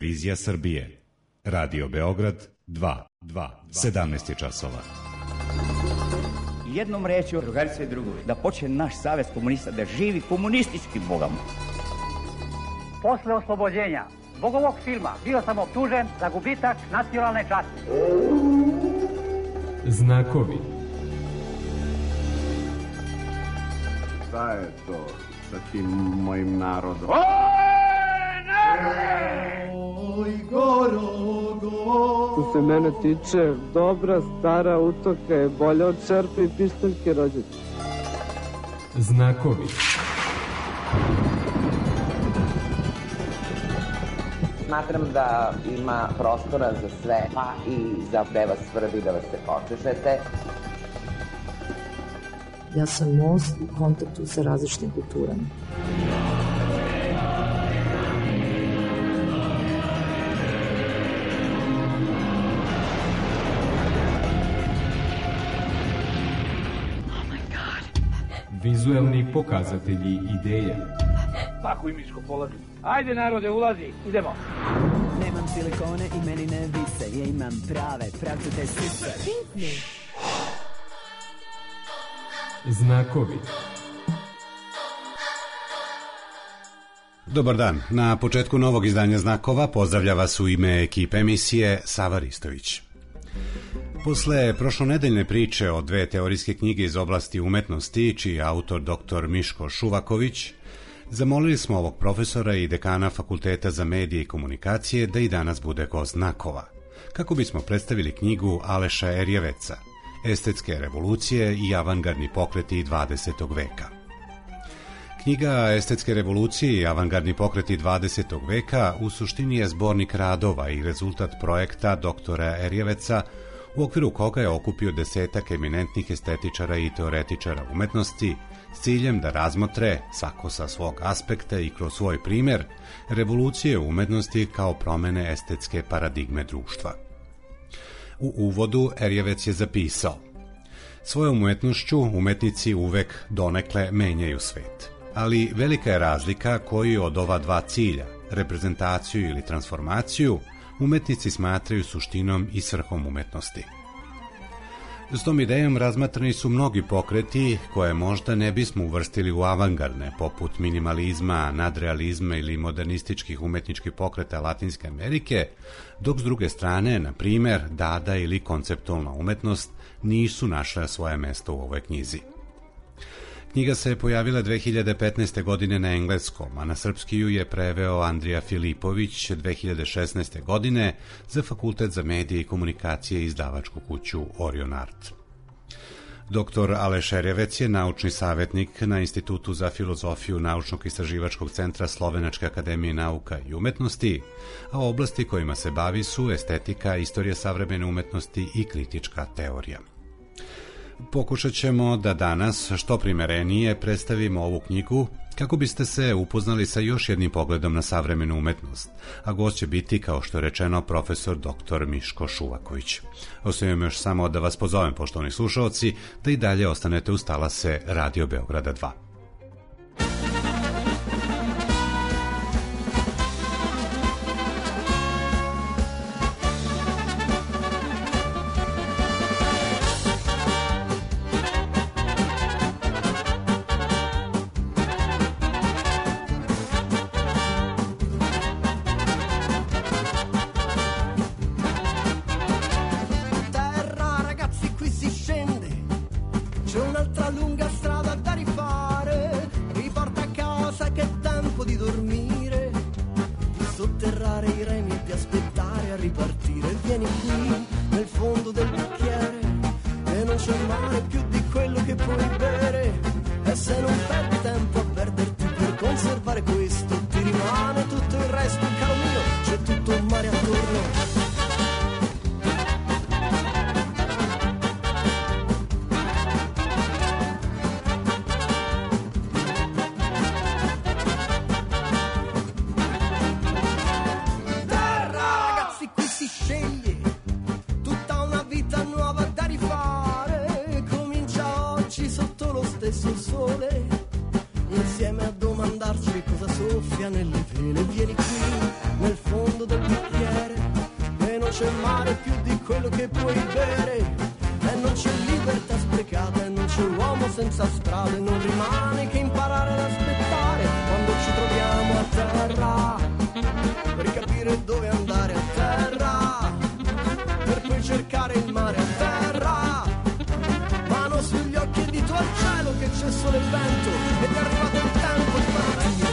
Vizija Srbije. Radio Beograd 2. 17 je časova. Jednom rečju, drugarice i drugovi, da počne naš savez komunista da živi komunističkim bogom. Posle oslobođenja zbog ovog filma bio sam optužen za gubitak nacionalne časti. Znakovi. Šta je to sa tim mojim narodom? Oj, Gorogo! Što se mene tiče, dobra stara utoka je bolja od šerpe i pištaljke rođaka. Znakovi. Smatram da ima prostora za sve, pa i za da vas svrbi, da vas se počešete. Ja sam most u kontaktu sa različitim kulturama. Vizuelni pokazatelji ideja. Pakuj miško, polazi. Ajde narode, ulazi, idemo. Nemam silikone i meni ne vise, ja imam prave, pravcate sise. Znakovi. Dobar dan. Na početku novog izdanja Znakova pozdravlja vas u ime ekipe emisije Sava Ristović. Posle prošlonedeljne priče o dve teorijske knjige iz oblasti umetnosti, čiji je autor dr. Miško Šuvaković, zamolili smo ovog profesora i dekana Fakulteta za medije i komunikacije da i danas bude gost Znakova, kako bismo predstavili knjigu Aleša Erjeveca, Estetske revolucije i avangardni pokreti 20. veka. Knjiga Estetske revolucije i avangardni pokreti 20. veka u suštini je zbornik radova i rezultat projekta doktora Erjeveca, u okviru koga je okupio desetak eminentnih estetičara i teoretičara umetnosti s ciljem da razmotre, svako sa svog aspekta i kroz svoj primer, revolucije umetnosti kao promene estetske paradigme društva. U uvodu Erjevec je zapisao: svojom umetnošću umetnici uvek donekle menjaju svet, ali velika je razlika koju od ova dva cilja, reprezentaciju ili transformaciju, umetnici smatraju suštinom i svrhom umetnosti. S tom idejom razmatrani su mnogi pokreti koje možda ne bismo uvrstili u avangardne, poput minimalizma, nadrealizma ili modernističkih umetničkih pokreta Latinske Amerike, dok s druge strane, na primer, dada ili konceptualna umetnost nisu našle svoje mesto u ovoj knjizi. Knjiga se pojavila 2015. godine na engleskom, a na srpski ju je preveo Andrija Filipović 2016. godine za Fakultet za medije i komunikacije i izdavačku kuću Orion Art. Dr. Aleš Erjevec je naučni savjetnik na Institutu za filozofiju Naučnog istraživačkog centra Slovenačke akademije nauka i umetnosti, a oblasti kojima se bavi su estetika, istorija savremene umetnosti i kritička teorija. Pokušat ćemo da danas što primerenije predstavimo ovu knjigu kako biste se upoznali sa još jednim pogledom na savremenu umetnost, a gost će biti, kao što je rečeno, profesor dr. Miško Šuvaković. Ostajem još samo da vas pozovem, poštovani slušalci, da i dalje ostanete uz talase Radio Beograda 2. Insieme a domandarci cosa soffia nelle vene, vieni qui c'è mare più di quello che puoi bere, e non c'è libertà sprecata, e non c'è uomo senza strade, non rimane che imparare ad aspettare quando ci troviamo a terra, per capire dove andare a terra, per poi cercare il mare a terra, mano sugli occhi e dito al cielo che c'è solo il vento ed è arrivato il tempo di partire.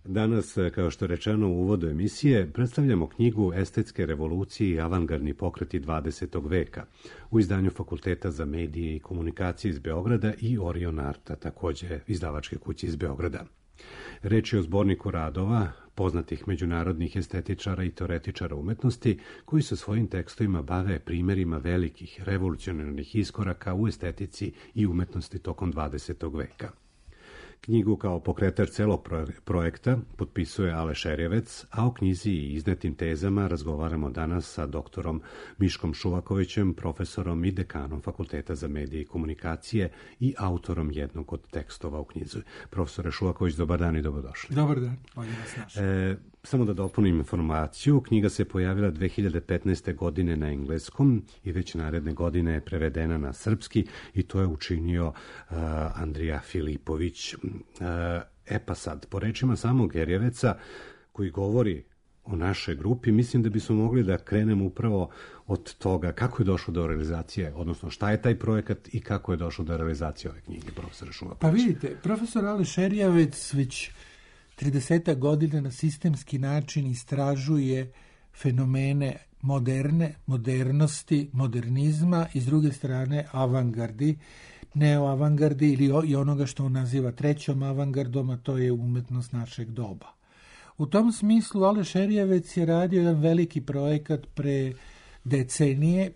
Danas, kao što je rečeno u uvodu emisije, predstavljamo knjigu Estetske revolucije i avangardni pokreti 20. veka u izdanju Fakulteta za medije i komunikacije iz Beograda i Orion Arta, takođe izdavačke kuće iz Beograda. Reč je o zborniku radova poznatih međunarodnih estetičara i teoretičara umetnosti koji se svojim tekstovima bave primjerima velikih revolucionarnih iskoraka u estetici i umetnosti tokom 20. veka. Knjigu kao pokretač celog projekta potpisuje Ale Šerjevec, a o knjizi i iznetim tezama razgovaramo danas sa doktorom Miškom Šuvakovićem, profesorom i dekanom Fakulteta za medije i komunikacije i autorom jednog od tekstova u knjizi. Profesore Šuvaković, dobar dan i dobrodošli. Dobar dan, bolje vas našli. Samo da dopunim informaciju, knjiga se pojavila 2015. godine na engleskom i već naredne godine je prevedena na srpski i to je učinio Andrija Filipović. Pa sad, po rečima samog Gerjeveca koji govori o našoj grupi, mislim da bismo mogli da krenemo upravo od toga kako je došlo do realizacije, odnosno šta je taj projekat i kako je došlo do realizacije ove knjige, profesor Šuvaković. Pa vidite, profesor Ale Šerjevec već 30 godina na sistemski način istražuje fenomene modernosti, modernizma i s druge strane avangardi, neoavangardi ili onoga što on naziva trećom avangardom, a to je umetnost našeg doba. U tom smislu Ale Šerjevec je radio jedan veliki projekat pre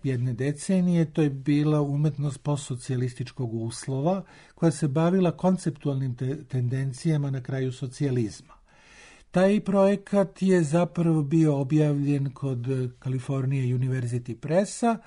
jedne decenije, to je bila umetnost postsocijalističkog uslova koja se bavila konceptualnim tendencijama na kraju socijalizma. Taj projekat je zapravo bio objavljen kod California University Pressa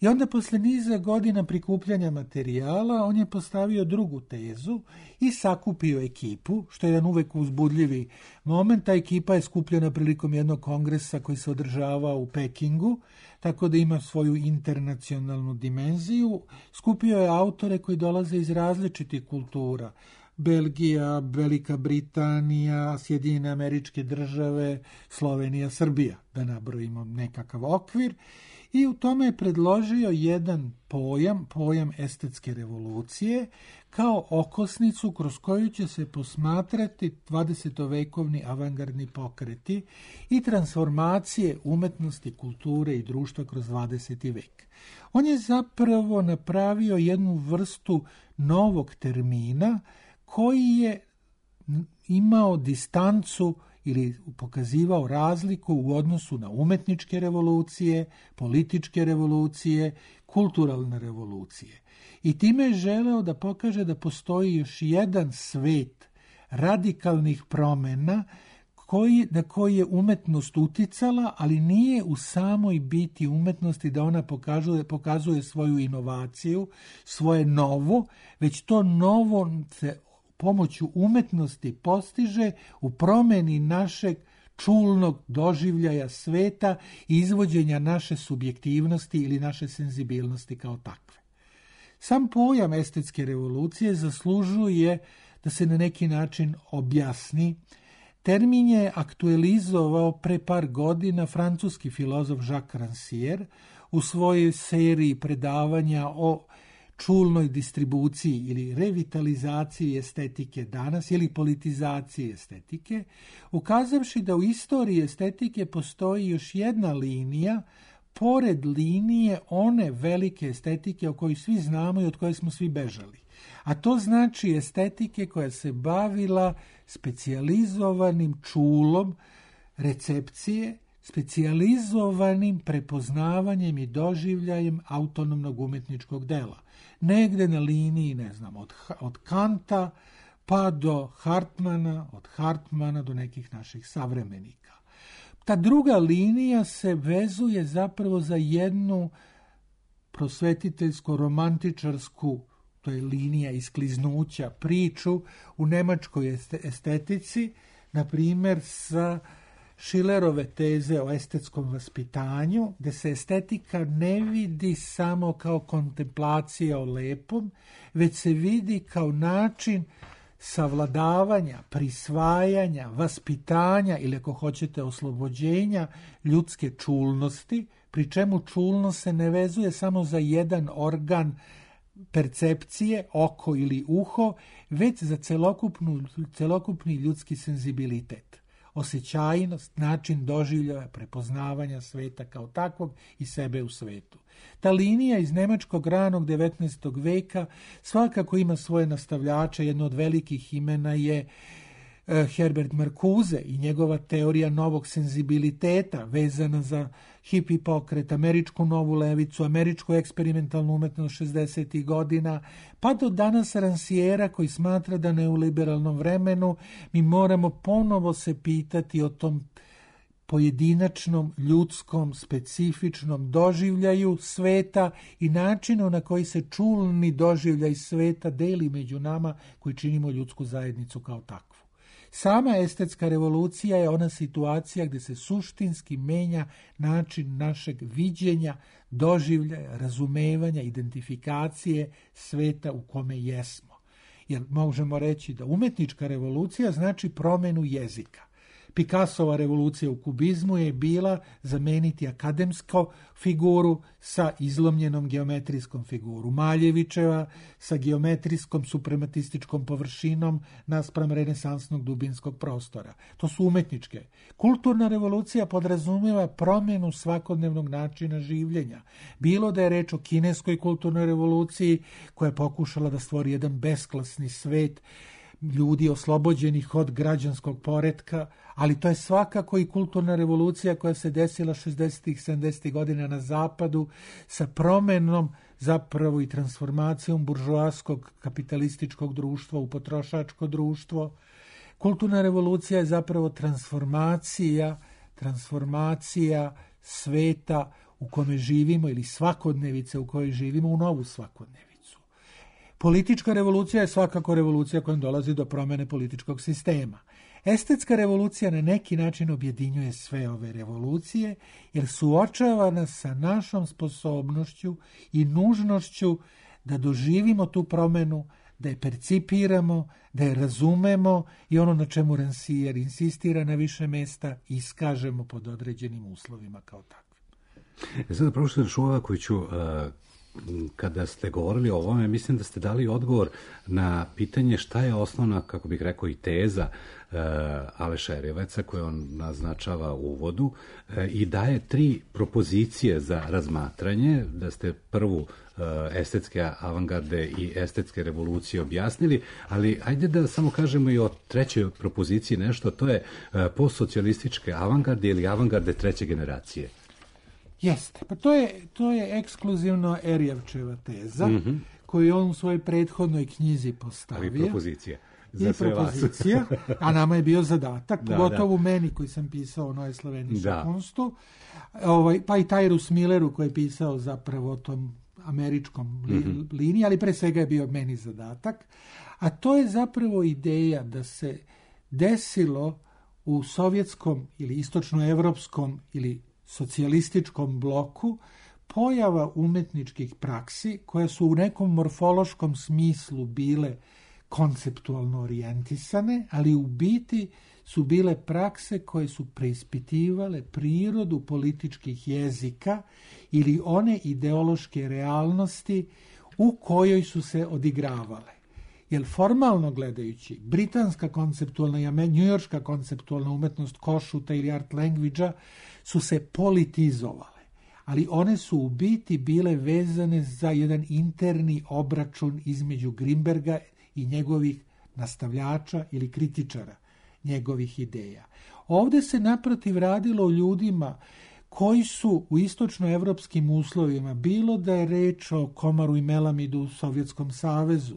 i onda posle niza godina prikupljanja materijala on je postavio drugu tezu i sakupio ekipu, što je jedan uvek uzbudljivi moment. Ta ekipa je skupljena prilikom jednog kongresa koji se održava u Pekingu, tako da ima svoju internacionalnu dimenziju. Skupio je autore koji dolaze iz različitih kultura, Belgija, Velika Britanija, Sjedinjene Američke Države, Slovenija, Srbija, da nabrojimo nekakav okvir. I u tome je predložio jedan pojam estetske revolucije, kao okosnicu kroz koju će se posmatrati 20-vekovni avangardni pokreti i transformacije umetnosti, kulture i društva kroz 20. vek. On je zapravo napravio jednu vrstu novog termina koji je imao distancu ili pokazivao razliku u odnosu na umetničke revolucije, političke revolucije, kulturalne revolucije. I time je želeo da pokaže da postoji još jedan svet radikalnih promjena na koji je umetnost uticala, ali nije u samoj biti umetnosti da ona pokazuje svoju inovaciju, svoje novo, već to novo se pomoću umetnosti postiže u promjeni našeg čulnog doživljaja sveta i izvođenja naše subjektivnosti ili naše senzibilnosti kao takve. Sam pojam estetske revolucije zaslužuje da se na neki način objasni. Termin je aktualizovao pre par godina francuski filozof Jacques Rancière u svojoj seriji predavanja o čulnoj distribuciji ili revitalizaciji estetike danas ili politizaciji estetike, ukazavši da u istoriji estetike postoji još jedna linija pored linije one velike estetike o kojoj svi znamo i od koje smo svi bežali. A to znači estetike koja se bavila specijalizovanim čulom recepcije, specijalizovanim prepoznavanjem i doživljajem autonomnog umetničkog dela. Negde na liniji, od Kanta pa do Hartmana, od Hartmana do nekih naših savremenika. Ta druga linija se vezuje zapravo za jednu prosvetiteljsko-romantičarsku, to je linija iskliznuća, priču u nemačkoj estetici, na primjer sa Schillerove teze o estetskom vaspitanju, gde se estetika ne vidi samo kao kontemplacija o lepom, već se vidi kao način savladavanja, prisvajanja, vaspitanja ili ako hoćete oslobođenja ljudske čulnosti, pri čemu čulnost se ne vezuje samo za jedan organ percepcije, oko ili uho, već za celokupni ljudski senzibilitet, osjećajnost, način doživljaja, prepoznavanja sveta kao takvog i sebe u svetu. Ta linija iz nemačkog ranog 19. veka svakako ima svoje nastavljače. Jedno od velikih imena je Herbert Marcuse i njegova teorija novog senzibiliteta vezana za hipi pokret, američku novu levicu, američku eksperimentalnu umetnost 60. godina, pa do danas Ranciera koji smatra da ne u liberalnom vremenu mi moramo ponovo se pitati o tom pojedinačnom, ljudskom, specifičnom doživljaju sveta i načinu na koji se čulni doživljaj sveta deli među nama koji činimo ljudsku zajednicu kao takvu. Sama estetska revolucija je ona situacija gdje se suštinski menja način našeg viđenja, doživljaja, razumevanja, identifikacije sveta u kome jesmo. Jer možemo reći da umetnička revolucija znači promjenu jezika. Picassova revolucija u kubizmu je bila zameniti akademsku figuru sa izlomljenom geometrijskom figuru. Maljevićeva sa geometrijskom suprematističkom površinom naspram renesansnog dubinskog prostora. To su umetničke. Kulturna revolucija podrazumijeva promjenu svakodnevnog načina življenja. Bilo da je reč o kineskoj kulturnoj revoluciji koja je pokušala da stvori jedan besklasni svet ljudi oslobođenih od građanskog poretka, ali to je svakako i kulturna revolucija koja se desila 60. 70. godina na zapadu sa promjenom zapravo i transformacijom buržoaskog kapitalističkog društva u potrošačko društvo. Kulturna revolucija je zapravo transformacija sveta u kome živimo ili svakodnevice u kojoj živimo u novu svakodnevicu. Politička revolucija je svakako revolucija kojom dolazi do promjene političkog sistema. Estetska revolucija na neki način objedinjuje sve ove revolucije jer suočava nas sa našom sposobnošću i nužnošću da doživimo tu promjenu, da je percipiramo, da je razumemo i ono na čemu Rancière insistira na više mesta iskažemo pod određenim uslovima kao takve. Sada profesor Šuvakoviću, kada ste govorili o ovome, mislim da ste dali odgovor na pitanje šta je osnovna, kako bih rekao, i teza Aleša Erjeveca koju on naznačava u uvodu i daje 3 propozicije za razmatranje, da ste prvu estetske avangarde i estetske revolucije objasnili, ali ajde da samo kažemo i o trećoj propoziciji nešto, to je postsocijalističke avangarde ili avangarde treće generacije. Jeste, pa to je ekskluzivno Erjevčeva teza, koju je on u svojoj prethodnoj knjizi postavio. Ali propozicija. I propozicija, a nama je bio zadatak, pogotovo meni koji sam pisao o Neue Slovenische Kunstu, pa i Tyrus Milleru koji je pisao zapravo o tom američkom liniji, ali pre svega je bio meni zadatak, a to je zapravo ideja da se desilo u sovjetskom ili istočnoevropskom ili socijalističkom bloku pojava umetničkih praksi koje su u nekom morfološkom smislu bile konceptualno orijentisane, ali u biti su bile prakse koje su preispitivale prirodu političkih jezika ili one ideološke realnosti u kojoj su se odigravale. Jer formalno gledajući, britanska konceptualna i njujorška konceptualna umetnost Košuta ili art language-a su se politizovale, ali one su u biti bile vezane za jedan interni obračun između Grimberga i njegovih nastavljača ili kritičara njegovih ideja. Ovdje se naprotiv radilo o ljudima koji su u istočnoevropskim uslovima, bilo da je reč o Komaru i Melamidu u Sovjetskom savezu,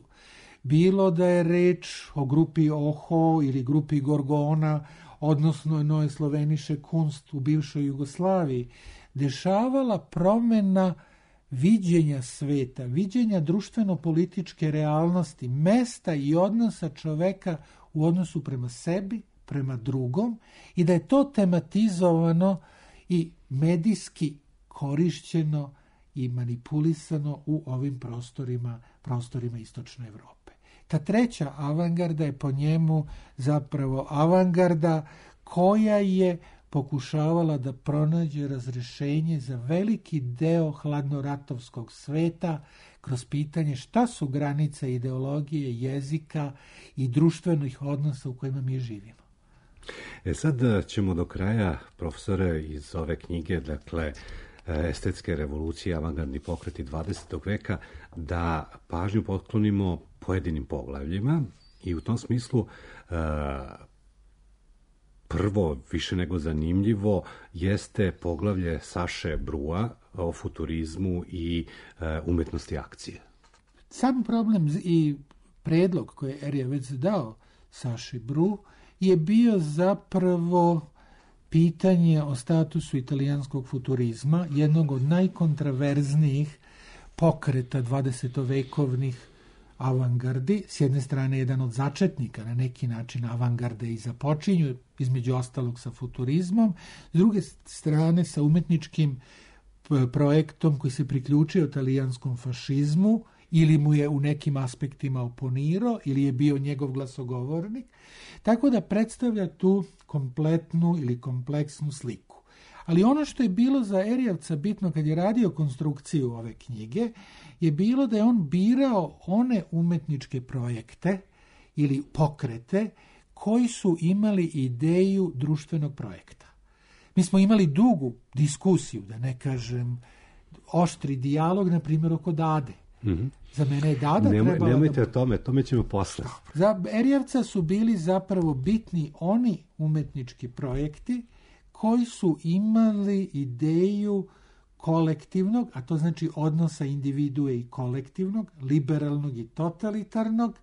bilo da je reč o grupi Oho ili grupi Gorgona, odnosno Neue Slovenische Kunst u bivšoj Jugoslaviji, dešavala promjena viđenja sveta, viđenja društveno-političke realnosti, mesta i odnosa čoveka u odnosu prema sebi, prema drugom, i da je to tematizovano i medijski korišćeno i manipulisano u ovim prostorima istočne Evrope. Ta treća avangarda je po njemu zapravo avangarda koja je pokušavala da pronađe razrešenje za veliki deo hladnoratovskog sveta kroz pitanje šta su granice ideologije, jezika i društvenih odnosa u kojima mi živimo. Sad ćemo do kraja, profesore, iz ove knjige, dakle, estetske revolucije, avangardni pokreti 20. veka, da pažnju potklonimo pojedinim poglavljima i u tom smislu prvo, više nego zanimljivo, jeste poglavlje Saše Brua o futurizmu i umetnosti akcije. Sam problem i predlog koji je Erjevec dao Saši Bru je bio zapravo pitanje o statusu italijanskog futurizma, jednog od najkontraverznijih pokreta 20-vekovnih avangardi. S jedne strane jedan od začetnika na neki način avangarde i započinju, između ostalog sa futurizmom, s druge strane sa umetničkim projektom koji se priključio talijanskom fašizmu ili mu je u nekim aspektima oponirao ili je bio njegov glasogovornik, tako da predstavlja tu kompletnu ili kompleksnu sliku. Ali ono što je bilo za Erjevca bitno kad je radio konstrukciju ove knjige je bilo da je on birao one umetničke projekte ili pokrete koji su imali ideju društvenog projekta. Mi smo imali dugu diskusiju, da ne kažem oštri dijalog, na primjer oko Dade. Za mene je Dada trebala... Nemojte o tome ćemo posle. Za Erjevca su bili zapravo bitni oni umetnički projekti koji su imali ideju kolektivnog, a to znači odnosa individue i kolektivnog, liberalnog i totalitarnog,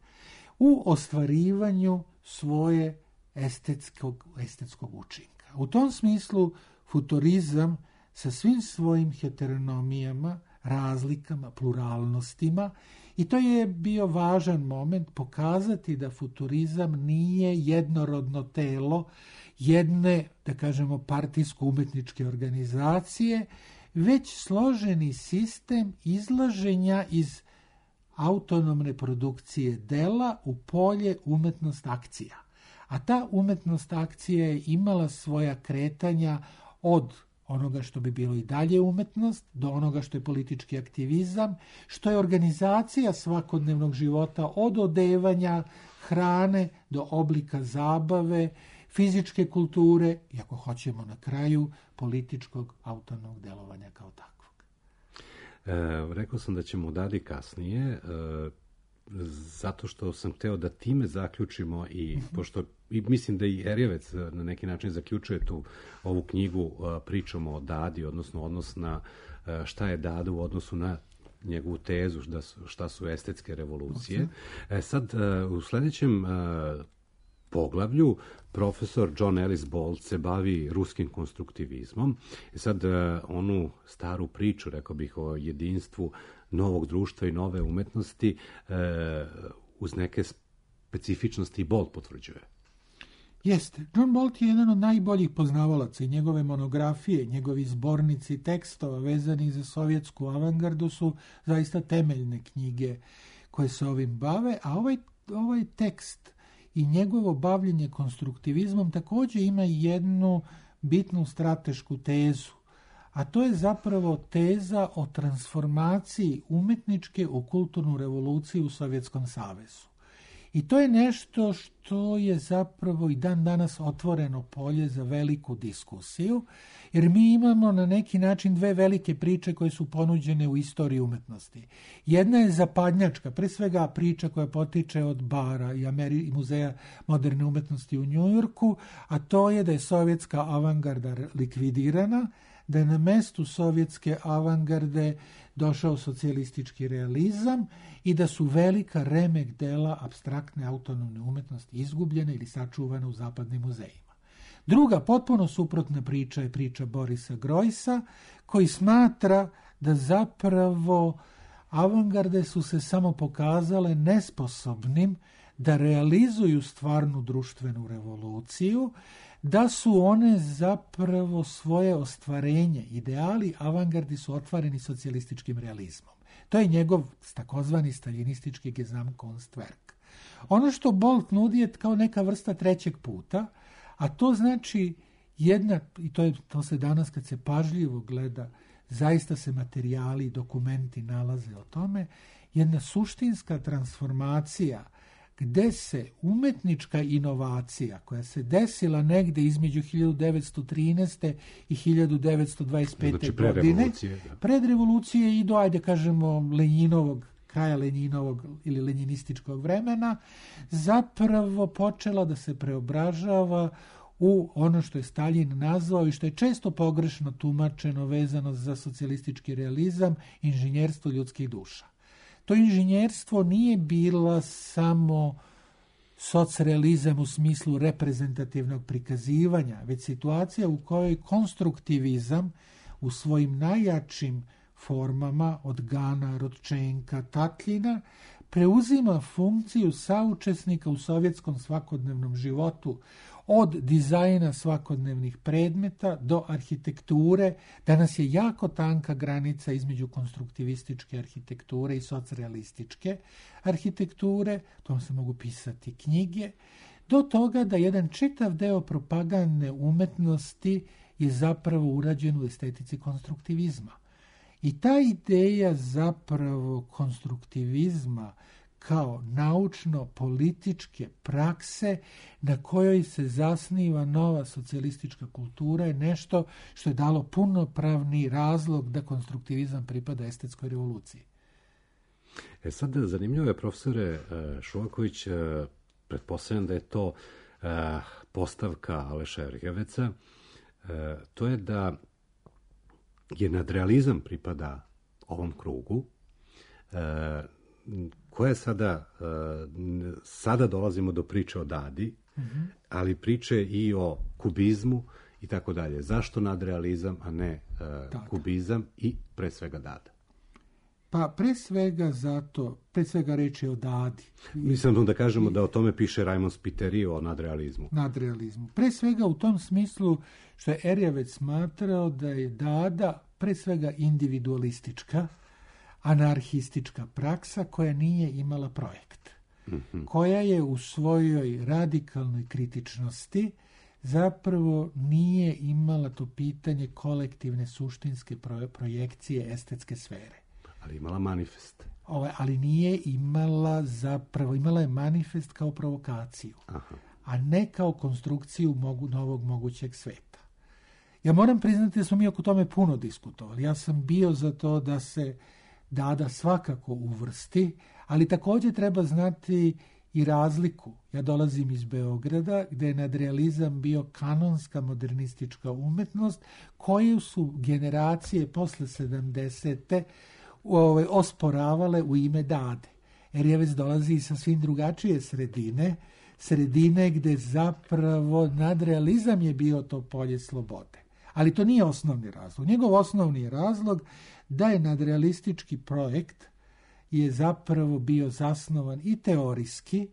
u ostvarivanju svoje estetskog učinka. U tom smislu futurizam sa svim svojim heteronomijama, razlikama, pluralnostima, i to je bio važan moment pokazati da futurizam nije jednorodno telo jedne, da kažemo, partijsko-umetničke organizacije, već složeni sistem izlaženja iz autonomne produkcije dela u polje umetnost akcija. A ta umetnost akcija je imala svoja kretanja od onoga što bi bilo i dalje umetnost, do onoga što je politički aktivizam, što je organizacija svakodnevnog života od odevanja, hrane do oblika zabave, fizičke kulture i ako hoćemo na kraju političkog autonomnog delovanja kao takvog. Rekao sam da ćemo odadi kasnije, zato što sam hteo da time zaključimo i pošto i mislim da i Erjevec na neki način zaključuje ovu knjigu pričom o Dadi, odnosno odnos na šta je Dada u odnosu na njegovu tezu šta su estetske revolucije. Sad u sledećem poglavlju profesor John Ellis Bolt se bavi ruskim konstruktivizmom. Sad onu staru priču, rekao bih, o jedinstvu novog društva i nove umetnosti uz neke specifičnosti Bolt potvrđuje. Jeste. John Bolt je jedan od najboljih poznavalaca i njegove monografije, njegovi zbornici tekstova vezani za sovjetsku avangardu su zaista temeljne knjige koje se ovim bave, a ovaj tekst i njegovo bavljenje konstruktivizmom također ima jednu bitnu stratešku tezu, a to je zapravo teza o transformaciji umetničke u kulturnu revoluciju u Sovjetskom savezu. I to je nešto što je zapravo i dan danas otvoreno polje za veliku diskusiju, jer mi imamo na neki način dve velike priče koje su ponuđene u istoriji umetnosti. Jedna je zapadnjačka, pre svega priča koja potiče od Bara i Muzeja moderne umetnosti u Njujorku, a to je da je sovjetska avangarda likvidirana, da je na mestu sovjetske avangarde došao socijalistički realizam i da su velika remek dela apstraktne autonomne umetnosti izgubljene ili sačuvane u zapadnim muzejima. Druga, potpuno suprotna priča je priča Borisa Grojsa, koji smatra da zapravo avangarde su se samo pokazale nesposobnim da realizuju stvarnu društvenu revoluciju, da su one zapravo svoje ostvarenje, ideali avangardi su otvoreni socijalističkim realizmom. To je njegov takozvani staljinistički Gesamtkunstwerk. Ono što Bolt nudi je kao neka vrsta trećeg puta, a to znači jedna, i to se danas kad se pažljivo gleda, zaista se materijali i dokumenti nalaze o tome, jedna suštinska transformacija gde se umetnička inovacija koja se desila negde između 1913. i 1925. godine, pred revolucije i do, ajde kažemo, kraja Lenjinovog ili lenjinističkog vremena, zapravo počela da se preobražava u ono što je Staljin nazvao i što je često pogrešno tumačeno vezano za socijalistički realizam, inženjerstvo ljudskih duša. To inženjerstvo nije bila samo socrealizam u smislu reprezentativnog prikazivanja, već situacija u kojoj konstruktivizam u svojim najjačim formama od Gana, Rodčenka, Tatljina preuzima funkciju saučesnika u sovjetskom svakodnevnom životu, od dizajna svakodnevnih predmeta do arhitekture. Danas je jako tanka granica između konstruktivističke arhitekture i socrealističke arhitekture, tom se mogu pisati knjige, do toga da jedan čitav deo propagandne umetnosti je zapravo urađen u estetici konstruktivizma. I ta ideja zapravo konstruktivizma kao naučno-političke prakse na kojoj se zasniva nova socijalistička kultura je nešto što je dalo punopravni razlog da konstruktivizam pripada estetskoj revoluciji. Sad, zanimljivo je, profesore Šuvaković, pretpostavljam da je to postavka Aleša Erjeveca, to je da je nadrealizam pripada ovom krugu, koje sada dolazimo do priče o Dadi, ali priče i o kubizmu i tako dalje. Zašto nadrealizam, a ne kubizam i pre svega Dada? Pa pre svega reč je o Dadi. Mislim da kažemo da o tome piše Raimond Spiteri o nadrealizmu. Pre svega u tom smislu što je Erjevec smatrao da je Dada pre svega individualistička, anarhistička praksa koja nije imala projekt, koja je u svojoj radikalnoj kritičnosti zapravo nije imala to pitanje kolektivne suštinske projekcije estetske sfere. Ali imala manifest. Ali nije imala zapravo, imala je manifest kao provokaciju, a ne kao konstrukciju novog mogućeg sveta. Ja moram priznati da smo mi oko tome puno diskutovali. Ja sam bio za to da se Dada svakako uvrsti, ali također treba znati i razliku. Ja dolazim iz Beograda, gdje je nadrealizam bio kanonska modernistička umetnost, koju su generacije posle 70. osporavale u ime Dade. Erjevec dolazi sa svim drugačije sredine gdje zapravo nadrealizam je bio to polje slobode. Ali to nije osnovni razlog. Njegov osnovni razlog da je nadrealistički projekt je zapravo bio zasnovan i teorijski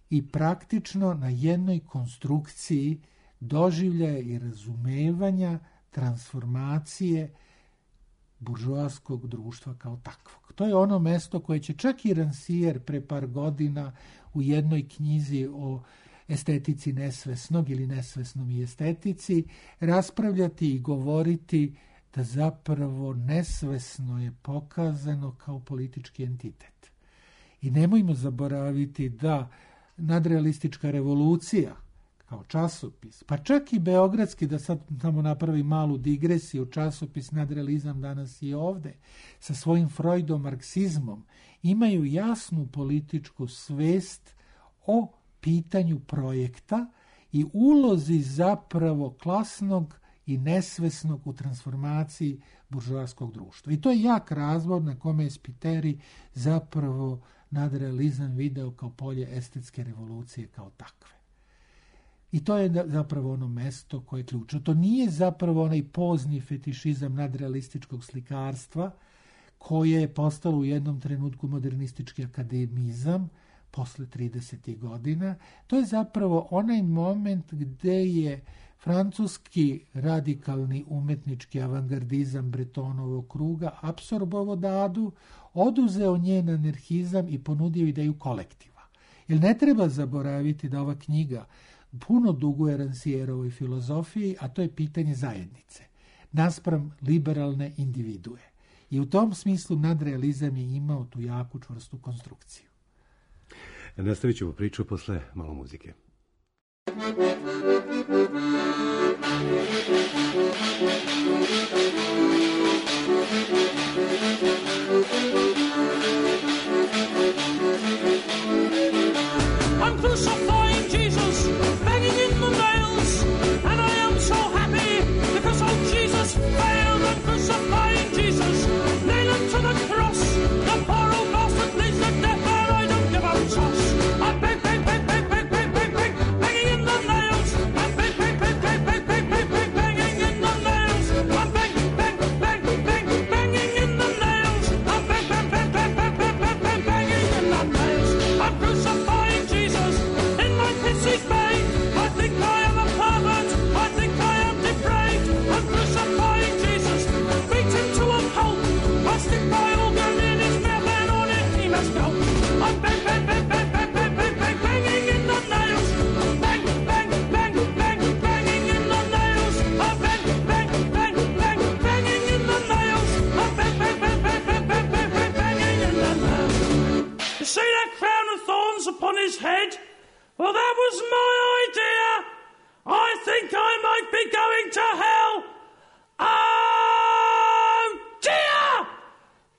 i praktično na jednoj konstrukciji doživljaja i razumevanja transformacije buržoaskog društva kao takvog. To je ono mesto koje će čak i Rancière pre par godina u jednoj knjizi o estetici nesvesnog ili nesvesnom i estetici raspravljati i govoriti da zapravo nesvesno je pokazano kao politički entitet. I nemojmo zaboraviti da nadrealistička revolucija kao časopis, pa čak i beogradski, da sad tamo napravi malu digresiju, časopis Nadrealizam danas i ovde, sa svojim Freudom, marksizmom, imaju jasnu političku svest o pitanju projekta i ulozi zapravo klasnog i nesvesnog u transformaciji buržoaskog društva. I to je jak razvod na kome je Spiteri zapravo nadrealizam video kao polje estetske revolucije kao takve. I to je zapravo ono mesto koje je ključno. To nije zapravo onaj pozni fetišizam nadrealističkog slikarstva koje je postalo u jednom trenutku modernistički akademizam posle 30. godina. To je zapravo onaj moment gde je francuski radikalni umetnički avangardizam Bretonovog kruga apsorbovao Dadu, oduzeo njen anarhizam i ponudio ideju kolektiva. Jer ne treba zaboraviti da ova knjiga puno duguje Rancièrovoj filozofiji, a to je pitanje zajednice, naspram liberalne individue. I u tom smislu nadrealizam je imao tu jaku čvrstu konstrukciju. Nastavit ćemo priču posle malo muzike. I'm crucifying Jesus, banging in the nails, and I am so happy because old Jesus failed. I'm crucifying Jesus, nail him to the cross. The poor old bastard needs the death, and I don't give a toss. I'm bang, bang, bang, bang, bang, bang, bang, bang, banging in the nails. I'm bang, bang, bang, bang, bang, bang, bang, bang, banging in the nails. I'm bang, bang, bang, bang, banging in the nails. I'm bang, bang, bang, bang, bang, bang, bang, bang, banging in the nails. I'm crucifying Jesus in my pissy bay. I think I am a pervert. I think I am depraved. I'm crucifying Jesus, beat him to a pulp. I stick my organ in his mouth and on it he must go. I'm bang, bang, bang, bang, bang, bang, bang, bang, banging in the nails. Bang, bang, bang, bang, banging in the nails. I'm bang, bang, bang, bang, banging in the nails. I'm bang, bang, bang, bang, bang, bang, bang, bang, banging in the nails. You see that crown of thorns upon his head? Well, that was my idea. I think I might be going to hell. Oh, dear!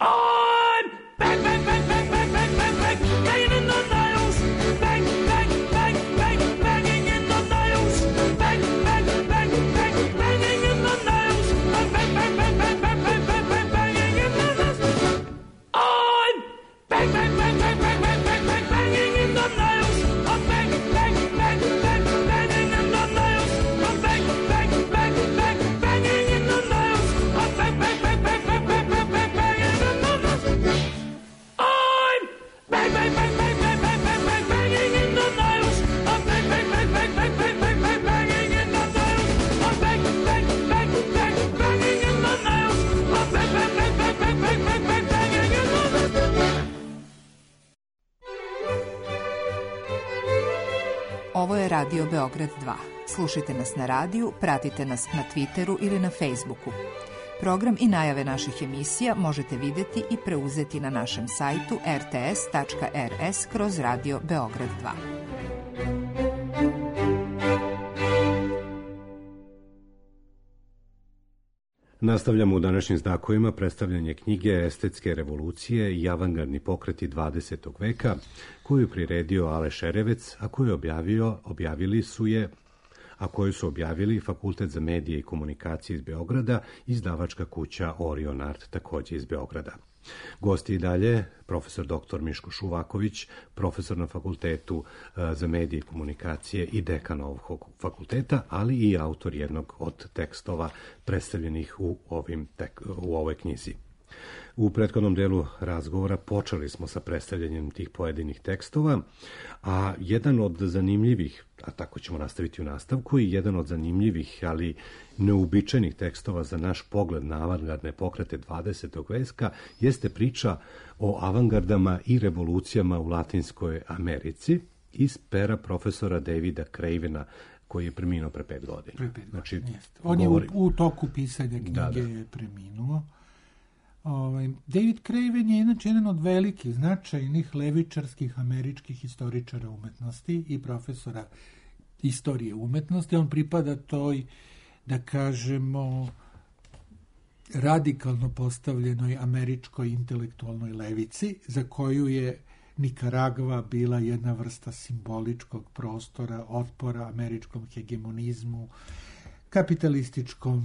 I'm bang, bang, bang, bang, bang, bang, bang, bang, banging in the nails. Bang, bang, bang, bang, banging in the nails. Bang, bang, bang, bang, banging in the nails. Bang, bang, bang, bang, bang, bang, bang, bang, bang, banging in the nails. I'm bang, bang, bang, bang, bang, bang, bang, bang, banging in the nails. I'm bang, bang, bang, bang, banging in the nails. I'm bang, bang, bang, bang, banging in the nails. I'm bang, bang, bang, bang, bang, bang, bang, bang, banging in the nails. I'm bang, bang, bang, bang, bang, bang, bang, bang, banging in the nails. I'm bang, bang, bang, bang, bang, bang, bang, bang, banging in the nails. I'm bang, bang, bang, bang, banging in the nails. I'm bang, bang, bang, bang, bang, bang, bang, bang, banging in the nails. Ovo je Radio Beograd 2. Slušajte nas na radiju, pratite nas na Twitteru ili na Facebooku. Program i najave naših emisija možete vidjeti i preuzeti na našem sajtu rts.rs/Radio Beograd 2. Nastavljamo u današnjim znakovima predstavljanje knjige Estetske revolucije i avangardni pokreti 20. veka, koju je priredio Ale Šerevec, a koju su objavili Fakultet za medije i komunikacije iz Beograda i izdavačka kuća Orion Art, također iz Beograda. Gosti i dalje, profesor dr. Miško Šuvaković, profesor na Fakultetu za medije i komunikacije i dekan ovog fakulteta, ali i autor jednog od tekstova predstavljenih u ovoj knjizi. U prethodnom delu razgovora počeli smo sa predstavljanjem tih pojedinih tekstova, a jedan od zanimljivih, a tako ćemo nastaviti u nastavku, i jedan od zanimljivih, ali neuobičajenih tekstova za naš pogled na avangardne pokrete 20. veka jeste priča o avangardama i revolucijama u Latinskoj Americi iz pera profesora Davida Cravena, koji je preminuo pre 5 godina. Znači, on je u toku pisanja knjige je preminuo. David Craven je inače jedan od velikih, značajnih levičarskih američkih historičara umetnosti i profesora istorije umetnosti. On pripada toj, da kažemo, radikalno postavljenoj američkoj intelektualnoj levici, za koju je Nikaragva bila jedna vrsta simboličkog prostora, otpora američkom hegemonizmu, kapitalističkom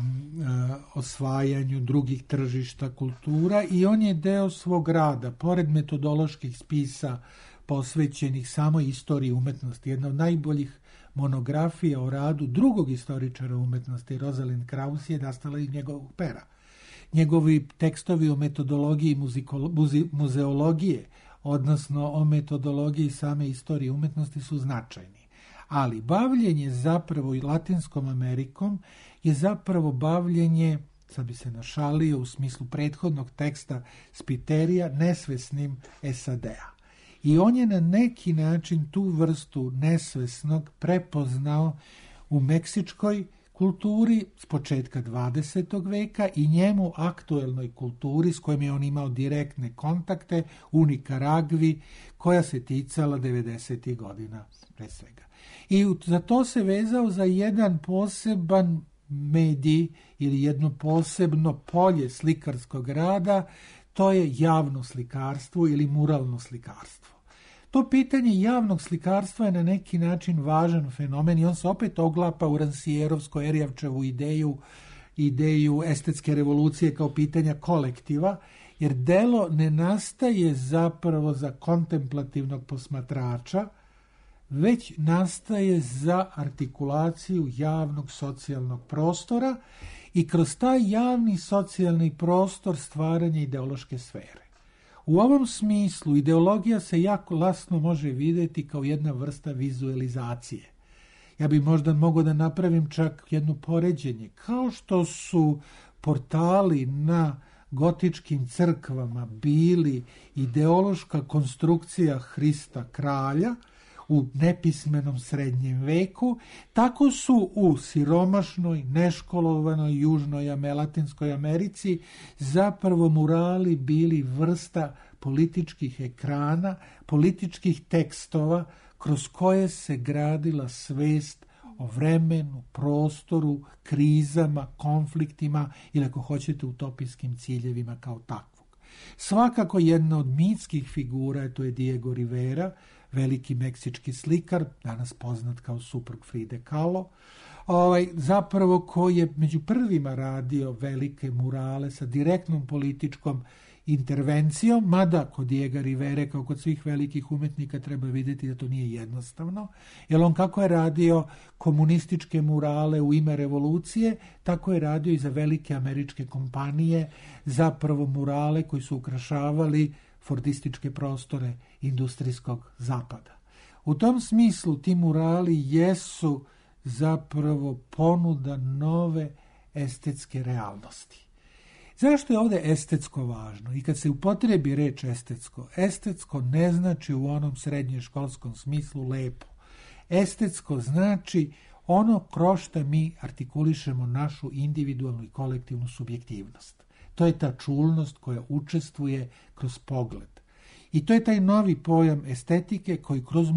osvajanju drugih tržišta kultura, i on je deo svog rada, pored metodoloških spisa posvećenih samoj istoriji umetnosti, jedna od najboljih monografija o radu drugog istoričara umetnosti, Rosalind Krauss, je nastala iz njegovog pera. Njegovi tekstovi o metodologiji muzeologije, odnosno o metodologiji same istorije umetnosti, su značajni. Ali bavljenje zapravo i Latinskom Amerikom je zapravo bavljenje, sad bi se našalio u smislu prethodnog teksta Spiterija, nesvesnim SAD-a. I on je na neki način tu vrstu nesvesnog prepoznao u meksičkoj kulturi s početka 20. veka i njemu aktuelnoj kulturi s kojom je on imao direktne kontakte u Nikaragvi, koja se ticala 90. godina pre svega. I za to se vezao za jedan poseban medij ili jedno posebno polje slikarskog rada, to je javno slikarstvo ili muralno slikarstvo. To pitanje javnog slikarstva je na neki način važan fenomen i on se opet oglapa u Rancijerovsko-Erjavčevu ideju estetske revolucije kao pitanja kolektiva, jer delo ne nastaje zapravo za kontemplativnog posmatrača, već nastaje za artikulaciju javnog socijalnog prostora i kroz taj javni socijalni prostor stvaranje ideološke sfere. U ovom smislu ideologija se jako lasno može vidjeti kao jedna vrsta vizualizacije. Ja bi možda mogao da napravim čak jedno poređenje. Kao što su portali na gotičkim crkvama bili ideološka konstrukcija Hrista kralja u nepismenom srednjem veku, tako su u siromašnoj, neškolovanoj južnoj Latinskoj Americi zapravo murali bili vrsta političkih ekrana, političkih tekstova kroz koje se gradila svest o vremenu, prostoru, krizama, konfliktima ili ako hoćete utopijskim ciljevima kao takvog. Svakako jedna od mitskih figura, to je Diego Rivera, veliki meksički slikar, danas poznat kao suprug Fride Kahlo, zapravo koji je među prvima radio velike murale sa direktnom političkom intervencijom, mada kod Diega Rivere, kao kod svih velikih umetnika, treba vidjeti da to nije jednostavno, jer on kako je radio komunističke murale u ime revolucije, tako je radio i za velike američke kompanije, zapravo murale koji su ukrašavali fordističke prostore industrijskog zapada. U tom smislu ti murali jesu zapravo ponuda nove estetske realnosti. Zašto je ovdje estetsko važno? I kad se upotrebi reč estetsko, estetsko ne znači u onom srednješkolskom smislu lepo. Estetsko znači ono kroz što mi artikulišemo našu individualnu i kolektivnu subjektivnost. To je ta čulnost koja učestvuje kroz pogled. I to je taj novi pojam estetike koji kroz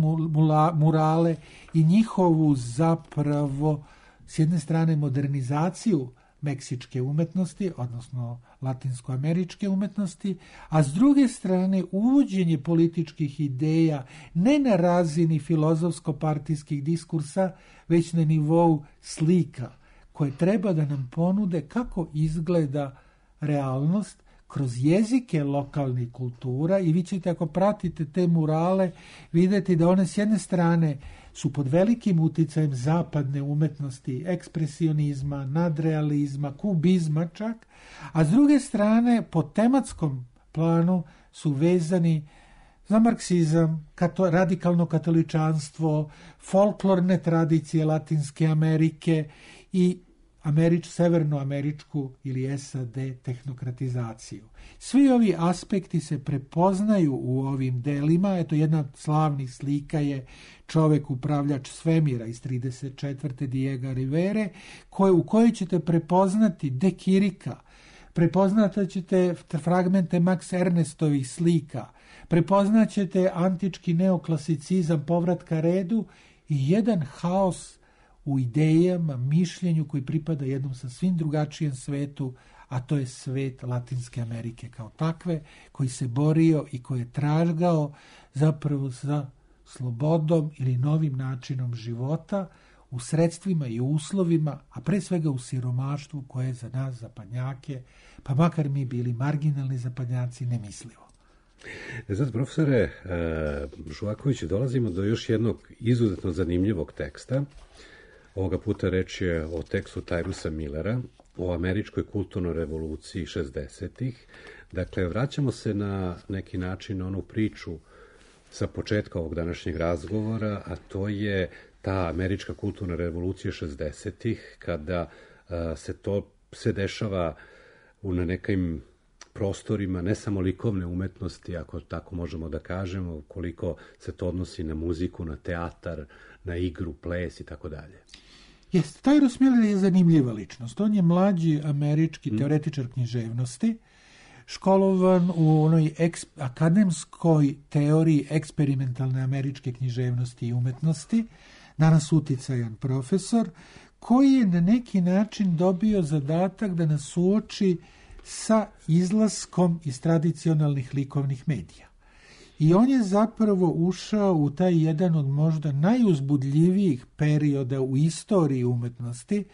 murale i njihovu zapravo s jedne strane modernizaciju meksičke umetnosti, odnosno latinskoameričke umetnosti, a s druge strane uvođenje političkih ideja ne na razini filozofsko-partijskih diskursa, već na nivou slika koje treba da nam ponude kako izgleda realnost kroz jezike lokalnih kultura. I vi ćete, ako pratite te murale, vidjeti da one s jedne strane su pod velikim uticajem zapadne umetnosti, ekspresionizma, nadrealizma, kubizma čak, a s druge strane po tematskom planu su vezani za marksizam, radikalno katoličanstvo, folklorne tradicije Latinske Amerike i severnoameričku ili SAD tehnokratizaciju. Svi ovi aspekti se prepoznaju u ovim delima. Eto, jedna od slavnih slika je Čovek upravljač svemira iz 34. Diego Rivere, u kojoj ćete prepoznati De Kirika, prepoznat ćete fragmente Max Ernestovih slika, prepoznat ćete antički neoklasicizam povratka redu i jedan haos u idejama, mišljenju koji pripada jednom sasvim drugačijem svetu, a to je svet Latinske Amerike kao takve, koji se borio i koji je tražgao zapravo za slobodom ili novim načinom života u sredstvima i uslovima, a pre svega u siromaštvu koje je za nas zapadnjake, pa makar mi bili marginalni zapadnjaci, nemislivo. Sad, profesore Žvakoviću, dolazimo do još jednog izuzetno zanimljivog teksta. Ovoga puta reč je o tekstu Tyrusa Millera, o američkoj kulturnoj revoluciji 60-ih. Dakle, vraćamo se na neki način onu priču sa početka ovog današnjeg razgovora, a to je ta američka kulturna revolucija 60-ih, kada se to sve dešava na nekim prostorima, ne samo likovne umetnosti, ako tako možemo da kažemo, koliko se to odnosi na muziku, na teatar, na igru, ples i tako dalje. Jeste, Tyrus Miller je zanimljiva ličnost. On je mlađi američki teoretičar književnosti, školovan u onoj akademskoj teoriji eksperimentalne američke književnosti i umetnosti, danas uticajan profesor, koji je na neki način dobio zadatak da nas suoči sa izlaskom iz tradicionalnih likovnih medija. I on je zapravo ušao u taj jedan od možda najuzbudljivijih perioda u istoriji umetnosti.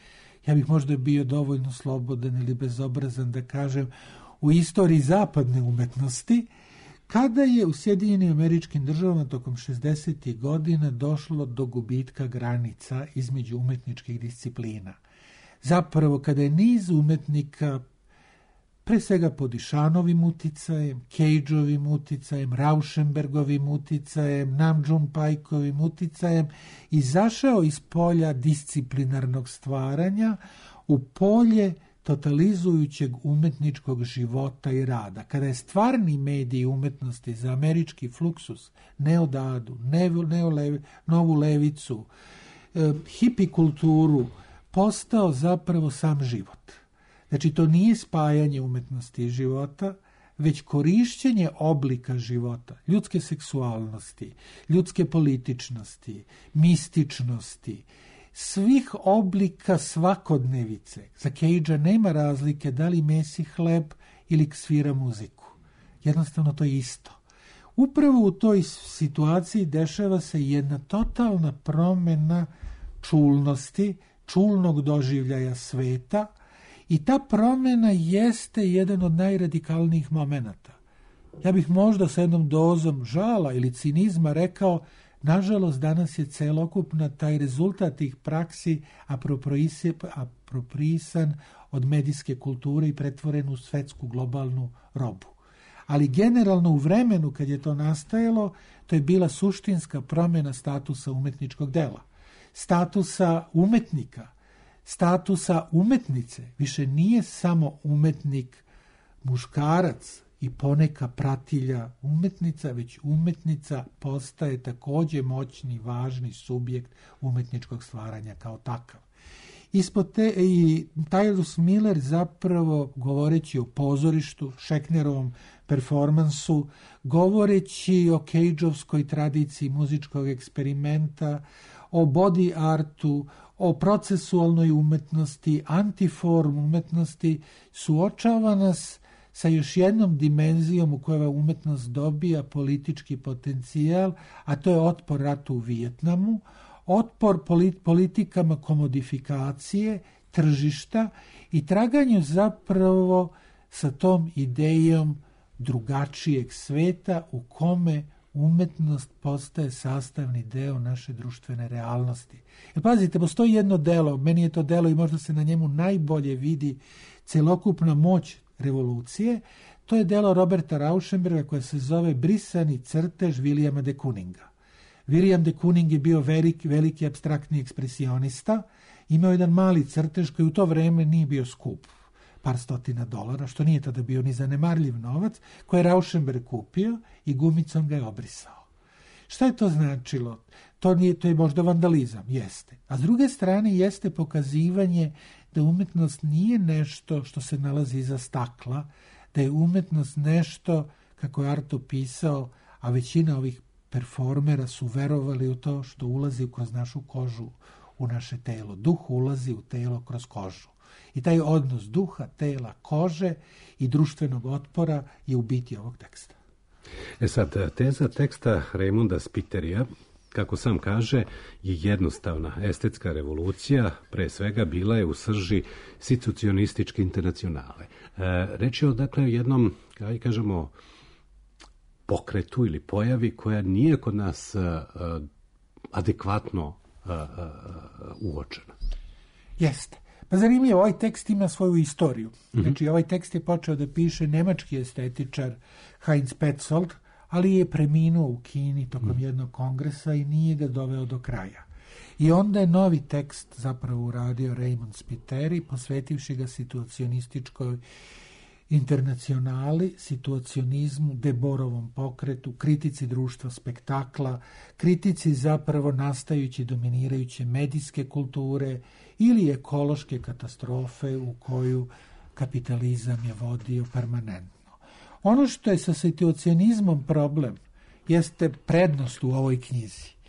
Ja bih možda bio dovoljno slobodan ili bezobrazan da kažem u istoriji zapadne umetnosti, kada je u Sjedinjenim Američkim Državama tokom 60. godina došlo do gubitka granica između umetničkih disciplina. Zapravo, kada je niz umetnika, pre svega pod Išanovim uticajem, Cageovim uticajem, Rauschenbergovim uticajem, Nam June Paikovim uticajem, izašao iz polja disciplinarnog stvaranja u polje totalizujućeg umetničkog života i rada. Kada je stvarni medij umetnosti za američki fluksus, neodadu, novu levicu, hipi kulturu, postao zapravo sam život. Znači, to nije spajanje umetnosti i života, već korišćenje oblika života, ljudske seksualnosti, ljudske političnosti, mističnosti, svih oblika svakodnevice. Za Cagea nema razlike da li mesi hleb ili svira muziku. Jednostavno to je isto. Upravo u toj situaciji dešava se jedna totalna promjena čulnosti, čulnog doživljaja sveta, i ta promjena jeste jedan od najradikalnijih momenata. Ja bih možda sa jednom dozom žala ili cinizma rekao, nažalost danas je celokupna taj rezultat tih praksi apropriisan od medijske kulture i pretvoren u svetsku globalnu robu. Ali generalno u vremenu kad je to nastajalo, to je bila suštinska promjena statusa umetničkog dela, statusa umetnika, statusa umetnice. Više nije samo umetnik muškarac i poneka pratilja umetnica, već umetnica postaje takođe moćni, važni subjekt umetničkog stvaranja kao takav. Ispod te, i Tyrus Miller zapravo, govoreći o pozorištu, Schechnerovom performansu, govoreći o Cageovskoj tradiciji muzičkog eksperimenta, o body artu, o procesualnoj umetnosti, antiform umetnosti, suočava nas sa još jednom dimenzijom u kojoj umetnost dobija politički potencijal, a to je otpor ratu u Vijetnamu, otpor politikama komodifikacije, tržišta i traganju zapravo sa tom idejom drugačijeg sveta u kome umetnost postaje sastavni deo naše društvene realnosti. Jer pazite, postoji jedno delo, meni je to delo i možda se na njemu najbolje vidi celokupna moć revolucije, to je delo Roberta Rauschenberga koje se zove Brisani crtež Williama de Kooninga. William de Kooning je bio veliki apstraktni ekspresionista, imao jedan mali crtež koji u to vreme nije bio skup, par stotina dolara, što nije tada bio ni zanemarljiv novac, koji je Rauschenberg kupio i gumicom ga je obrisao. Šta je to značilo? To je možda vandalizam, jeste. A s druge strane jeste pokazivanje da umetnost nije nešto što se nalazi iza stakla, da je umetnost nešto, kako je Arto pisao, a većina ovih performera su verovali u to što ulazi kroz našu kožu, u naše telo. Duh ulazi u telo kroz kožu. I taj odnos duha, tela, kože i društvenog otpora je u biti ovog teksta. Sad, teza teksta Raymonda Spitterija, kako sam kaže, je jednostavna. Estetska revolucija, pre svega, bila je u srži situacionističke internacionale. Reč je o, dakle, jednom, kaj kažemo, pokretu ili pojavi koja nije kod nas adekvatno uočena. Jeste. Pa zanimljivo, ovaj tekst ima svoju istoriju. Znači, ovaj tekst je počeo da piše nemački estetičar Heinz Petzold, ali je preminuo u Kini tokom jednog kongresa i nije ga doveo do kraja. I onda je novi tekst zapravo uradio Raymond Spitteri, posvetivši ga situacionističkoj internacionali, situacionizmu, Deborovom pokretu, kritici društva spektakla, kritici zapravo nastajući dominirajuće medijske kulture ili ekološke katastrofe u koju kapitalizam je vodio permanentno. Ono što je sa situacionizmom problem jeste prednost u ovoj knjizi.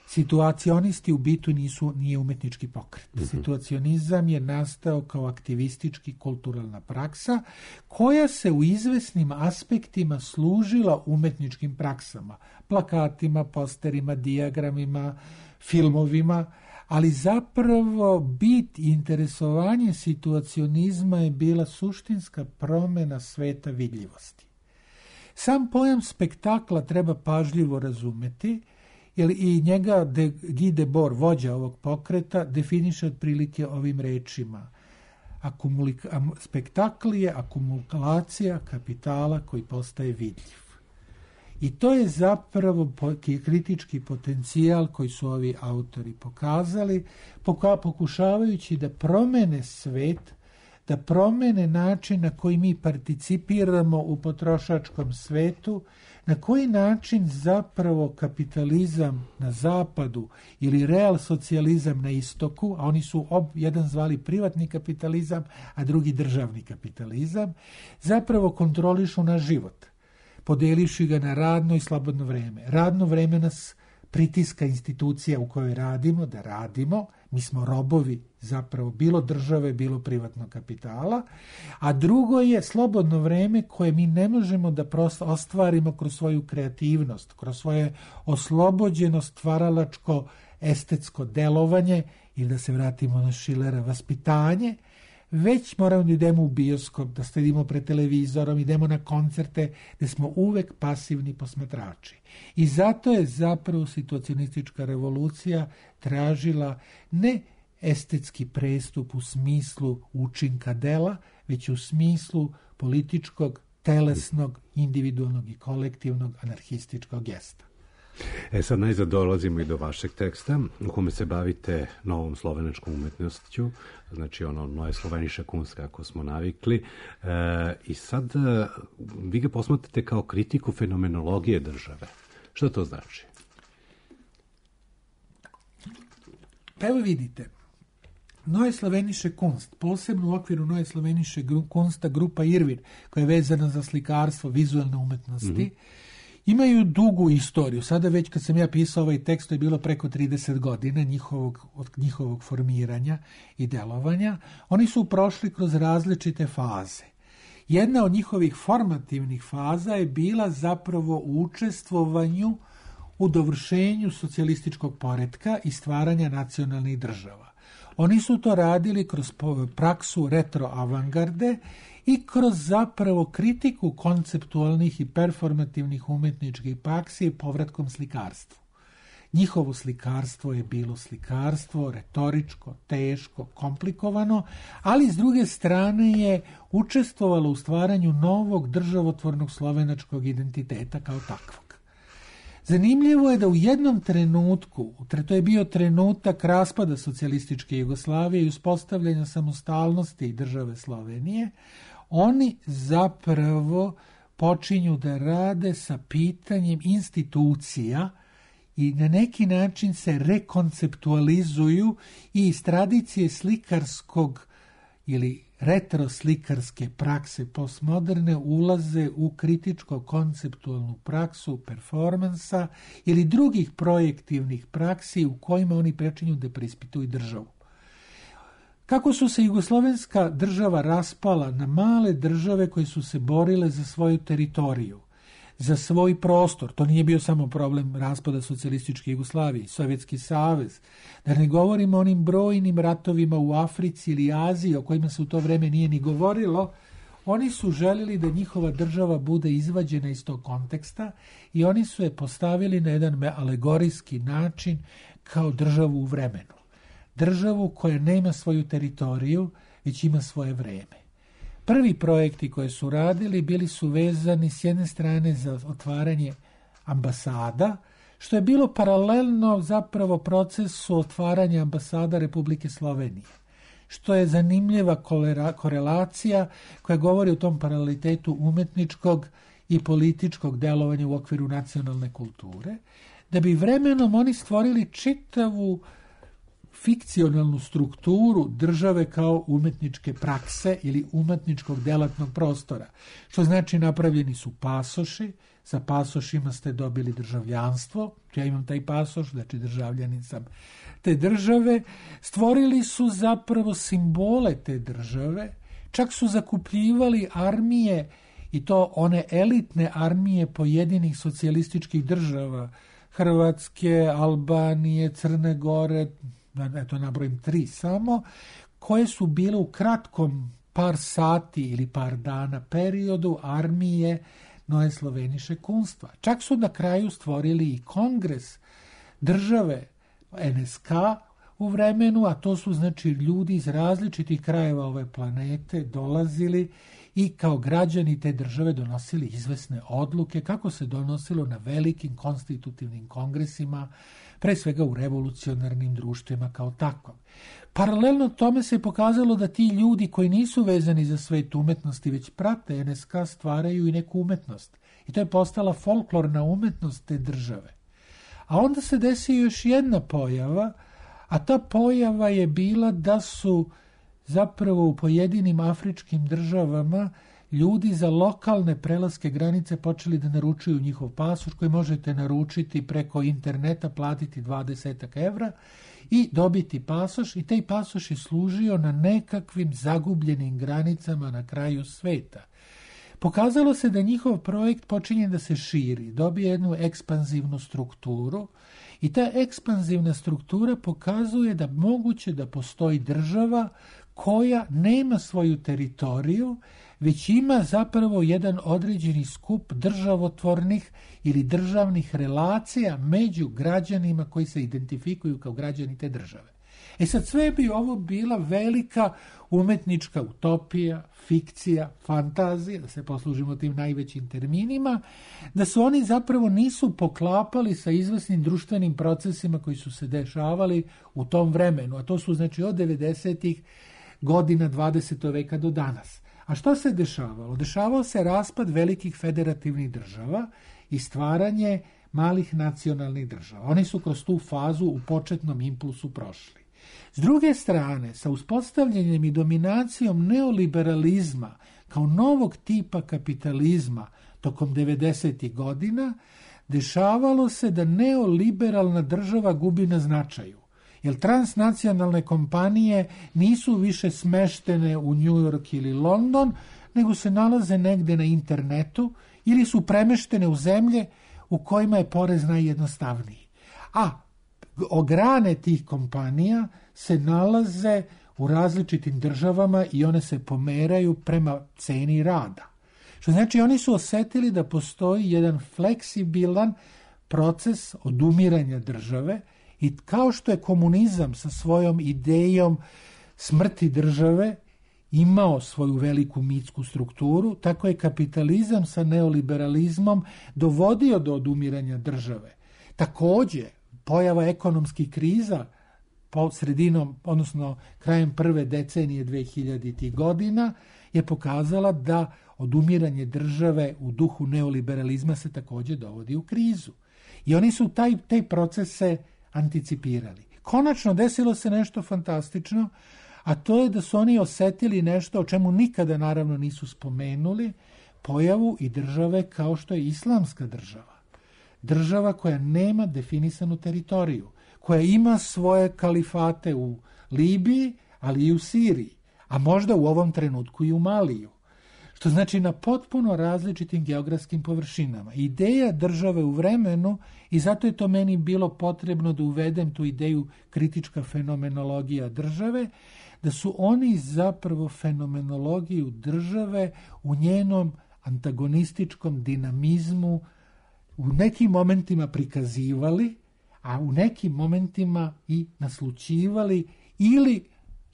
Situacionisti u bitu nije umetnički pokret. Situacionizam je nastao kao aktivistički kulturalna praksa koja se u izvesnim aspektima služila umetničkim praksama, plakatima, posterima, dijagramima, filmovima, ali zapravo bit i interesovanje situacionizma je bila suštinska promena sveta vidljivosti. Sam pojam spektakla treba pažljivo razumeti, jer i njega Guy Debord, vođa ovog pokreta, definiše otprilike ovim rečima. Spektakl je akumulacija kapitala koji postaje vidljiv. I to je zapravo kritički potencijal koji su ovi autori pokazali, pokušavajući da promene svet, da promene način na koji mi participiramo u potrošačkom svetu, na koji način zapravo kapitalizam na zapadu ili real socijalizam na istoku, a oni su jedan zvali privatni kapitalizam, a drugi državni kapitalizam, zapravo kontrolišu naš život, podeliši ga na radno i slobodno vreme. Radno vreme nas pritiska institucija u kojoj radimo, da radimo, mi smo robovi zapravo bilo države, bilo privatnog kapitala, a drugo je slobodno vreme koje mi ne možemo da prosto ostvarimo kroz svoju kreativnost, kroz svoje oslobođeno stvaralačko estetsko delovanje ili da se vratimo na Schillera vaspitanje, već moramo da idemo u bioskop, da sedimo pred televizorom, idemo na koncerte gde smo uvek pasivni posmatrači. I zato je zapravo situacionistička revolucija tražila ne estetski prestup u smislu učinka dela, već u smislu političkog, telesnog, individualnog i kolektivnog anarhističkog gesta. Sad najzad dolazimo i do vašeg teksta u kome se bavite novom slovenačkom umetnošću, znači ono Neue Slovenische Kunst kako smo navikli, i sad vi ga posmatrate kao kritiku fenomenologije države. Što to znači? Pa evo vidite, Neue Slovenische Kunst, posebno u okviru Neue Slovenische Kunsta grupa Irvin, koja je vezana za slikarstvo, vizualne umetnosti, imaju dugu istoriju. Sada već kad sam ja pisao ovaj tekst, to je bilo preko 30 godina njihovog formiranja i delovanja. Oni su prošli kroz različite faze. Jedna od njihovih formativnih faza je bila zapravo u učestvovanju u dovršenju socijalističkog poretka i stvaranja nacionalnih država. Oni su to radili kroz praksu retroavangarde i kroz zapravo kritiku konceptualnih i performativnih umetničkih praksi i povratkom slikarstvu. Njihovo slikarstvo je bilo slikarstvo retoričko, teško, komplikovano, ali s druge strane je učestvovalo u stvaranju novog državotvornog slovenačkog identiteta kao takvog. Zanimljivo je da u jednom trenutku, to je bio trenutak raspada socijalističke Jugoslavije i uspostavljanja samostalnosti i države Slovenije, oni zapravo počinju da rade sa pitanjem institucija i na neki način se rekonceptualizuju i iz tradicije slikarskog ili retroslikarske prakse postmoderne ulaze u kritičko-konceptualnu praksu performansa ili drugih projektivnih praksi u kojima oni prečinju da preispituju državu. Kako su se jugoslovenska država raspala na male države koje su se borile za svoju teritoriju, za svoj prostor, to nije bio samo problem raspada socijalističke Jugoslavije, Sovjetski savez, da ne govorimo o onim brojnim ratovima u Africi ili Aziji o kojima se u to vreme nije ni govorilo, oni su željeli da njihova država bude izvađena iz tog konteksta i oni su je postavili na jedan alegorijski način kao državu u vremenu. Državu koja nema svoju teritoriju, već ima svoje vreme. Prvi projekti koje su radili bili su vezani s jedne strane za otvaranje ambasada, što je bilo paralelno zapravo procesu otvaranja ambasada Republike Slovenije, što je zanimljiva korelacija koja govori o tom paralelitetu umetničkog i političkog delovanja u okviru nacionalne kulture, da bi vremenom oni stvorili čitavu fikcionalnu strukturu države kao umetničke prakse ili umetničkog delatnog prostora. Što znači napravljeni su pasoši, sa pasošima ste dobili državljanstvo, ja imam taj pasoš, znači državljanin sam te države, stvorili su zapravo simbole te države, čak su zakupljivali armije i to one elitne armije pojedinih socijalističkih država, Hrvatske, Albanije, Crne Gore, eto nabrojim 3 samo, koje su bile u kratkom par sati ili par dana periodu armije Neue Slovenische Kunstva. Čak su na kraju stvorili i kongres države NSK u vremenu, a to su znači ljudi iz različitih krajeva ove planete dolazili i kao građani te države donosili izvesne odluke kako se donosilo na velikim konstitutivnim kongresima, pre svega u revolucionarnim društvima kao takvom. Paralelno tome se pokazalo da ti ljudi koji nisu vezani za svet umetnosti, već prate NSK, stvaraju i neku umetnost. I to je postala folklorna umetnost te države. A onda se desi još jedna pojava, a ta pojava je bila da su zapravo u pojedinim afričkim državama ljudi za lokalne prelaske granice počeli da naručuju njihov pasoš koji možete naručiti preko interneta, platiti 20 evra i dobiti pasoš, i taj pasoš je služio na nekakvim zagubljenim granicama na kraju sveta. Pokazalo se da njihov projekt počinje da se širi, dobije jednu ekspanzivnu strukturu i ta ekspanzivna struktura pokazuje da moguće da postoji država koja nema svoju teritoriju, već ima zapravo jedan određeni skup državotvornih ili državnih relacija među građanima koji se identifikuju kao građani te države. Sad sve bi ovo bila velika umetnička utopija, fikcija, fantazija, da se poslužimo tim najvećim terminima, da se oni zapravo nisu poklapali sa izvesnim društvenim procesima koji su se dešavali u tom vremenu, a to su znači od 90-ih godina 20. veka do danas. A što se dešavalo? Dešavao se raspad velikih federativnih država i stvaranje malih nacionalnih država. Oni su kroz tu fazu u početnom impulsu prošli. S druge strane, sa uspostavljanjem i dominacijom neoliberalizma kao novog tipa kapitalizma tokom 90. godina, dešavalo se da neoliberalna država gubi na značaju. Jer transnacionalne kompanije nisu više smeštene u New York ili London, nego se nalaze negde na internetu ili su premeštene u zemlje u kojima je porez najjednostavniji. A grane tih kompanija se nalaze u različitim državama i one se pomeraju prema ceni rada. Što znači oni su osetili da postoji jedan fleksibilan proces odumiranja države i kao što je komunizam sa svojom idejom smrti države imao svoju veliku mitsku strukturu, tako je kapitalizam sa neoliberalizmom dovodio do odumiranja države. Također, pojava ekonomskih kriza sredinom, odnosno krajem prve decenije 2000. godina je pokazala da odumiranje države u duhu neoliberalizma se također dovodi u krizu. I oni su taj procese anticipirali. Konačno desilo se nešto fantastično, a to je da su oni osetili nešto o čemu nikada naravno nisu spomenuli, pojavu i države kao što je islamska država. Država koja nema definisanu teritoriju, koja ima svoje kalifate u Libiji, ali i u Siriji, a možda u ovom trenutku i u Maliju. Što znači na potpuno različitim geografskim površinama. Ideja države u vremenu, i zato je to meni bilo potrebno da uvedem tu ideju kritička fenomenologija države, da su oni zapravo fenomenologiju države u njenom antagonističkom dinamizmu u nekim momentima prikazivali, a u nekim momentima i naslućivali ili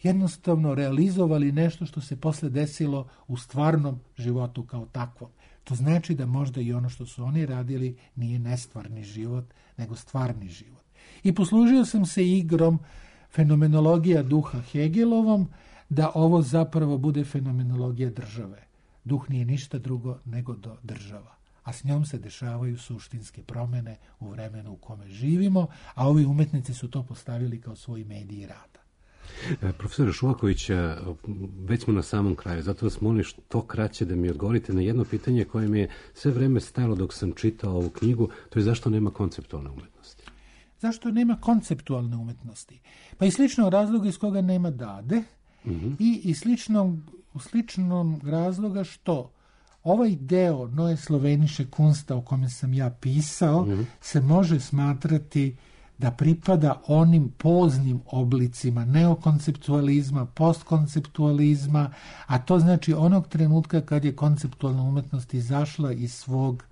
jednostavno realizovali nešto što se posle desilo u stvarnom životu kao takvom. To znači da možda i ono što su oni radili nije nestvarni život, nego stvarni život. I poslužio sam se igrom fenomenologija duha Hegelovom, da ovo zapravo bude fenomenologija države. Duh nije ništa drugo nego država, a s njom se dešavaju suštinske promjene u vremenu u kome živimo, a ovi umetnici su to postavili kao svoj medij rada. Profesore Šuvaković, već smo na samom kraju, zato vas molim što kraće da mi odgovorite na jedno pitanje koje mi je sve vreme stajalo dok sam čitao ovu knjigu, to je zašto nema konceptualne umetnosti? Zašto nema konceptualne umetnosti? Pa i sličnog razloga iz koga nema Dade, i sličnom razloga što ovaj deo Neue Slovenische Kunst o kome sam ja pisao se može smatrati da pripada onim poznim oblicima neokonceptualizma, postkonceptualizma, a to znači onog trenutka kad je konceptualna umetnost izašla iz svog,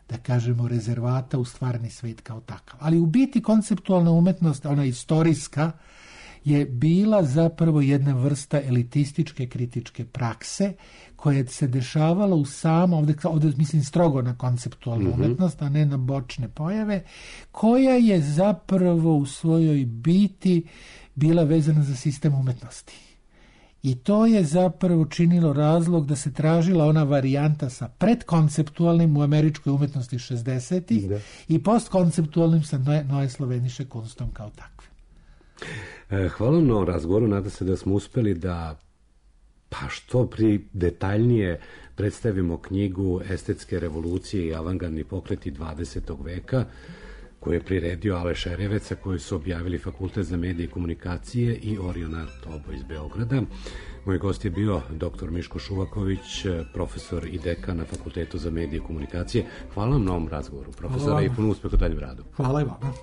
da kažemo, rezervata u stvarni svet kao takav. Ali u biti konceptualna umetnost, ona istorijska, je bila zapravo jedna vrsta elitističke kritičke prakse koja se dešavala u ovdje mislim strogo na konceptualnu umetnost, a ne na bočne pojave, koja je zapravo u svojoj biti bila vezana za sistem umetnosti. I to je zapravo činilo razlog da se tražila ona varijanta sa predkonceptualnim u američkoj umetnosti 60-ih i postkonceptualnim sa Neue Slovenische Kunstom kao takvim. Hvala na razgovoru, nada se da smo uspeli da što detaljnije predstavimo knjigu Estetske revolucije i avangardni pokreti 20. veka koju je priredio Aleš Erjeveca, koju su objavili Fakultet za medije i komunikacije i Oriona Tobo iz Beograda. Moj gost je bio dr. Miško Šuvaković, profesor i dekan na Fakultetu za medije i komunikacije. Hvala vam na ovom razgovoru, profesora, i puno uspeh u daljem radu. Hvala i vama.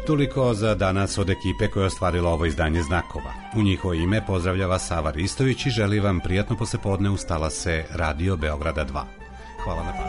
Toliko za danas od ekipe koja je ostvarila ovo izdanje Znakova. U njihovo ime pozdravlja vas Sava Ristović i želi vam prijatno poslepodne uz talase Radio Beograda 2. Hvala na pažnji.